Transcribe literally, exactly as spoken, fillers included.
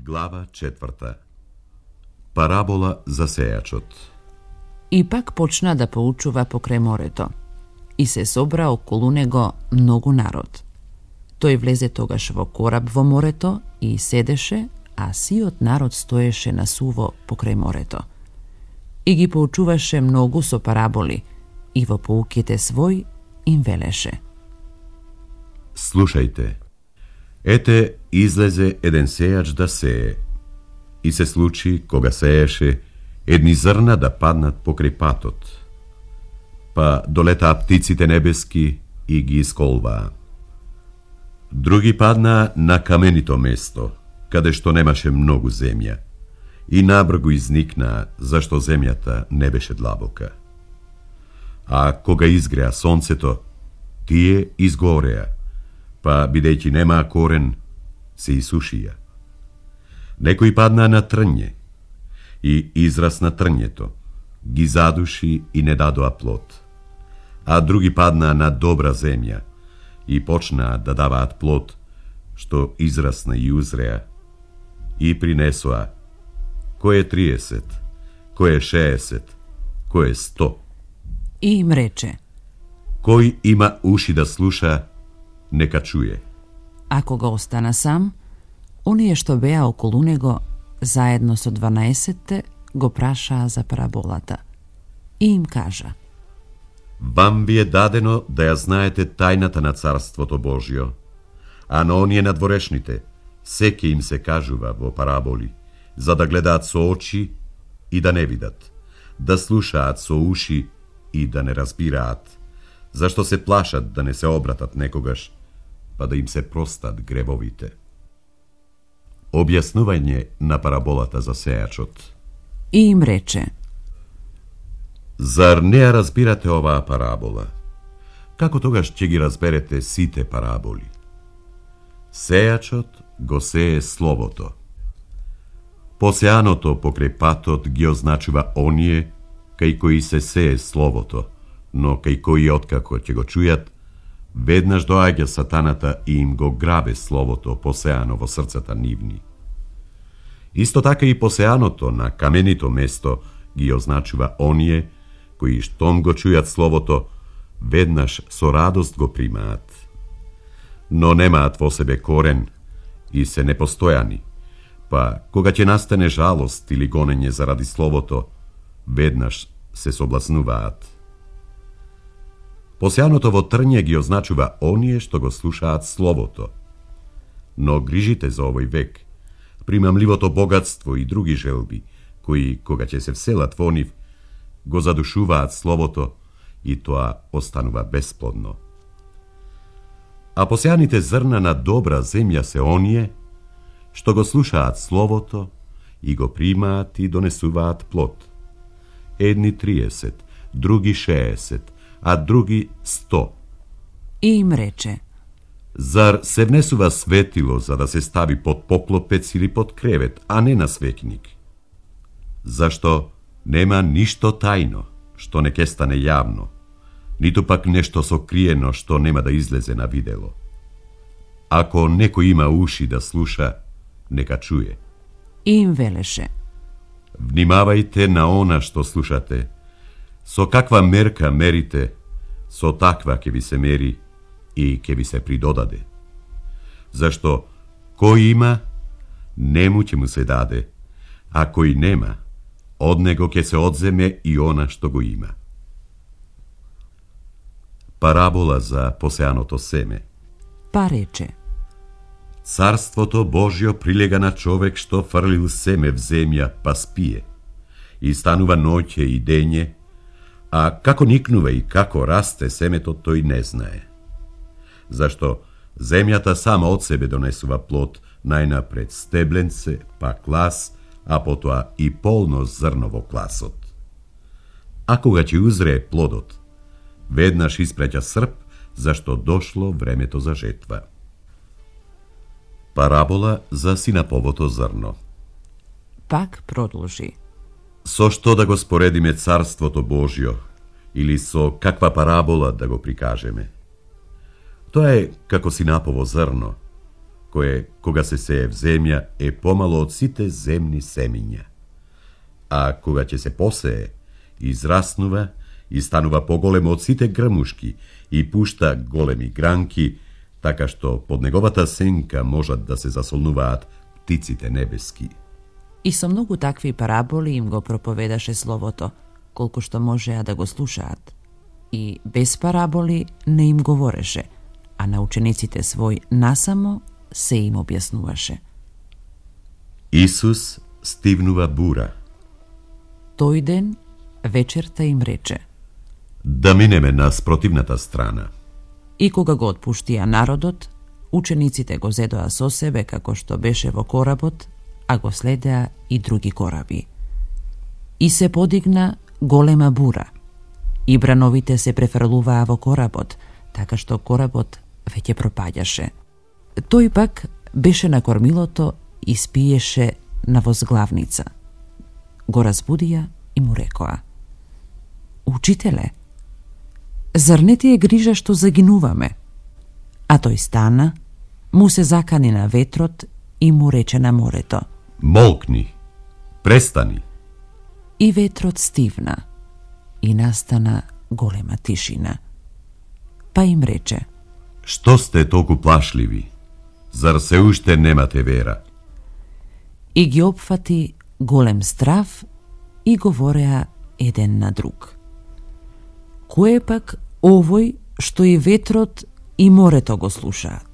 Глава четврта. Парабола за сејачот. И пак почна да поучува покрај морето. И се собра околу него многу народ. Тој влезе тогаш во кораб во морето и седеше, а сиот народ стоеше на суво покрај морето. И ги поучуваше многу со параболи, и во поуките свој им велеше: Слушајте, ете излезе еден сејач да сее. И се случи, кога сееше, едни зрна да паднат покрај патот. Па долетаа птиците небески и ги исколваа. Други паднаа на каменито место, каде што немаше многу земја, и набргу изникнаа, зашто земјата не беше длабока. А кога изгреа сонцето, тие изгореа, па бидејќи немаа корен, се исушија. Некои паднаа на трње, и израс на трњето, ги задуши и не дадоа плод. А други паднаа на добра земја, и почнаа да даваат плод, што израсна и узреа, и принесоа кој е триесет, кој е шеесет, кој е сто. И им рече: Кој има уши да слуша, нека чуе. А кога остана сам, оние што беа околу него, заедно со дванаесетте, го прашаа за параболата. И им кажа: Вам ви е дадено да ја знаете тајната на Царството Божјо, а на оние надворешните, секи им се кажува во параболи, за да гледаат со очи и да не видат, да слушаат со уши и да не разбираат, зашто се плашат да не се обратат некогаш, па да им се простат гревовите. Објаснување на параболата за сејачот. И им рече: Зар не ја разбирате оваа парабола? Како тогаш ќе ги разберете сите параболи? Сејачот го сее словото. Посеаното покрај патот ги означува оние кај кои се сее словото, но кај кои откако ќе го чујат, веднаш доаѓа сатаната и им го грабе словото посеано во срцата нивни. Исто така и посеаното на каменито место ги означува оние кои штом го чујат словото, веднаш со радост го примаат. Но немаат во себе корен и се непостојани, па кога ќе настане жалост или гонење заради словото, веднаш се собласнуваат. Посеаното во трње ги означува оние што го слушаат словото. Но грижите за овој век, примамливото богатство и други желби, кои, кога ќе се вселат во нив, го задушуваат словото и тоа останува бесплодно. А посеаните зрна на добра земја се оние што го слушаат словото и го примаат и донесуваат плод. Едни триесет, други шеесет, а други сто. И им рече: Зар се внесува светило за да се стави под поклопец или под кревет, а не на светник? Зашто нема ништо тајно, што не ке стане јавно, ниту пак нешто сокриено што нема да излезе на видело. Ако некој има уши да слуша, нека чуе. И им велеше: Внимавајте на она што слушате. Со каква мерка мерите, со таква ќе ви се мери и ќе ви се придодаде. Зашто кој има, нему ќе му се даде, а кој нема, од него ќе се одземе и она што го има. Парабола за посеаното семе. Па рече: Царството Божјо прилега на човек што фрлил семе в земја, па спие, и станува ноќе и дење, а како никнува и како расте семето, тој не знае. Зашто земјата сама од себе донесува плод, најнапред стебленце, па клас, а потоа и полно зрно во класот. А кога ќе узрее плодот, веднаш испраќа срп, зашто дошло времето за жетва. Парабола за синаповото зрно. Пак продолжи: Со што да го споредиме Царството Божјо, или со каква парабола да го прикажеме? Тоа е како синапово зрно, кое, кога се сее в земја, е помало од сите земни семиња. А кога ќе се посее, израснува и станува поголемо од сите грмушки и пушта големи гранки, така што под неговата сенка можат да се засолнуваат птиците небески. И со многу такви параболи им го проповедаше словото, колку што можеа да го слушаат. И без параболи не им говореше, а на учениците свој насамо се им објаснуваше. Исус стивнува бура. Тој ден вечерта им рече: Да минеме на спротивната страна. И кога го отпуштија народот, учениците го зедоа со себе како што беше во коработ, а го следеа и други кораби. И се подигна голема бура, и брановите се префрлуваа во коработ, така што коработ веќе пропаѓаше. Тој пак беше на кормилото и спиеше на возглавница. Го разбудија и му рекоа: Учителе, зар не ти е грижа што загинуваме? А тој стана, му се закани на ветрот и му рече на морето: Молкни, престани. И ветрот стивна и настана голема тишина. Па им рече: Што сте толку плашливи? Зар се уште немате вера? И ги опфати голем страв и говореа еден на друг: Кој е пак овој што и ветрот и морето го слушаат?